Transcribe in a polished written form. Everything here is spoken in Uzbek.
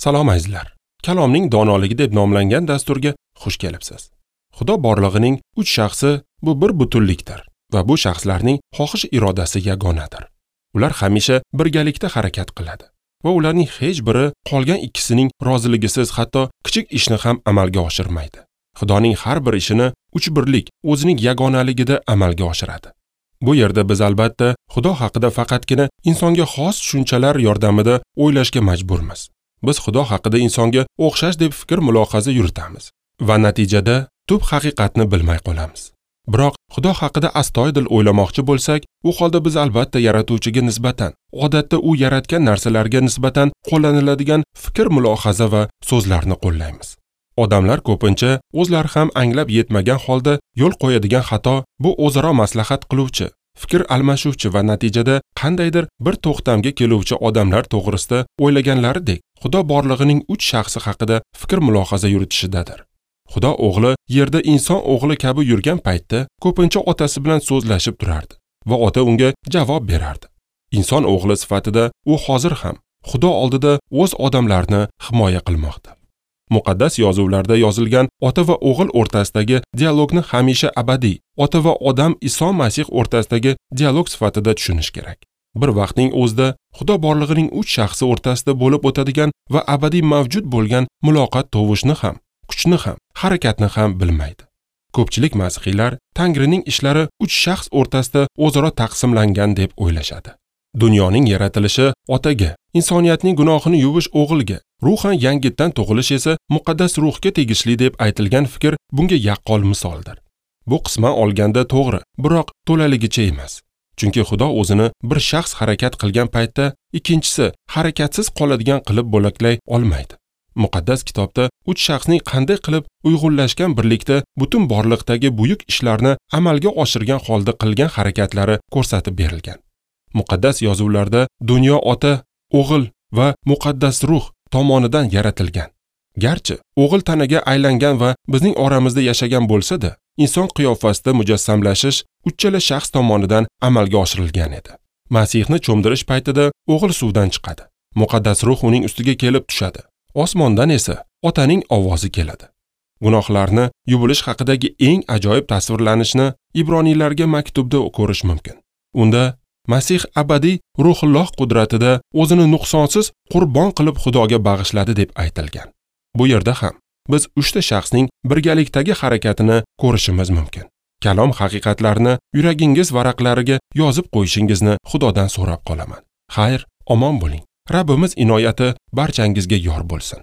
Salom azizlar. Kalomning donoligi deb nomlangan dasturga xush kelibsiz. Xudo borlig'ining uch shaxsi bu bir butunlikdir va bu shaxslarning xohish irodasi yagonadir. Ular hamisha birgalikda harakat qiladi va ularning hech biri qolgan ikkisining roziligisiz hatto kichik ishni ham amalga oshirmaydi. Xudoning har bir ishini uch birlik o'zining yagonaligida amalga oshiradi. Bu yerda biz albatta Xudo haqida faqatgina insonga xos tushunchalar yordamida o'ylashga majburmiz. Biz Xudo haqida insonga o'xshash deb fikr mulohaza yuritamiz va natijada tub haqiqatni bilmay qolamiz. Biroq Xudo haqida astoydil o'ylamoqchi bo'lsak, u holda biz albatta yaratuvchiga nisbatan, odatda u yaratgan narsalarga nisbatan qo'llaniladigan fikr mulohaza va so'zlarni qo'llaymiz. Odamlar ko'pincha o'zlari ham anglab yetmagan holda yo'l qo'yadigan xato bu o'zaro maslahat qiluvchi, fikr almashuvchi va natijada qandaydir bir to'xtamga keluvchi odamlar to'g'risida o'ylaganlaridek Xudo borlig'ining uch shaxsi haqida fikr mulohaza yuritishidadir. Xudo o'g'li yerda inson o'g'li kabi yurgan paytda ko'pincha otasi bilan so'zlashib turardi va ota unga javob berardi. Inson o'g'li sifatida u hozir ham Xudo oldida o'z odamlarini himoya qilmoqda. Muqaddas yozuvlarda yozilgan ota va o'g'il o'rtasidagi dialogni hamisha abadiy ota va odam Iso Masih o'rtasidagi dialog sifatida tushunish kerak. Bir vaqtning o'zida Xudo borlig'ining uch shaxsi o'rtasida bo'lib o'tadigan va abadiy mavjud bo'lgan muloqot tovushni ham, kuchni ham, harakatni ham bilmaydi. Ko'pchilik masihiylar Tangrining ishlari uch shaxs o'rtasida o'zaro taqsimlangan deb o'ylashadi. Dunyoning yaratilishi otaga, insoniyatning gunohini yuvish o'g'ilga, ruhan yangitdan tug'ilish esa muqaddas ruhga tegishli deb aytilgan fikr bunga yaqqol misoldir. Bu qisman olganda to'g'ri, biroq to'laligicha emas. Chunki Xudo o'zini bir shaxs harakat qilgan paytda ikkinchisi harakatsiz qoladigan qilib bo'laklay olmaydi. Muqaddas kitobda uch shaxsning qanday qilib uyg'unlashgan birlikda butun borliqdagi buyuk ishlarni amalga oshirgan holda qilgan harakatlari ko'rsatib berilgan. Muqaddas yozuvlarda dunyo ota, o'g'il va muqaddas ruh tomonidan yaratilgan. Garchi o'g'il tanaga aylangan va bizning oramizda yashagan bo'lsa-da, inson qiyofasida mujassamlashish uchala shaxs tomonidan amalga oshirilgan edi. Masihni cho'mdirish paytida o'g'il suvdan chiqadi. Muqaddas ruh uning ustiga kelib tushadi. Osmondan esa otaning ovozi keladi. Gunohlarni yuvilish haqidagi eng ajoyib tasvirlanishni Ibroniylarga maktubda ko'rish mumkin. Unda Masih abadiy ruhulloh qudratida o'zini nuqsonsiz qurbon qilib Xudoga bag'ishladi deb aytilgan. Bu yerda ham biz uchta shaxsning birgalikdagi harakatini ko'rishimiz mumkin. Kalom haqiqatlarini yuragingiz varaqlariga yozib qo'yishingizni Xudodan so'rab qolaman. Xayr, omon bo'ling. Rabbimiz inoyati barchangizga yor bo'lsin.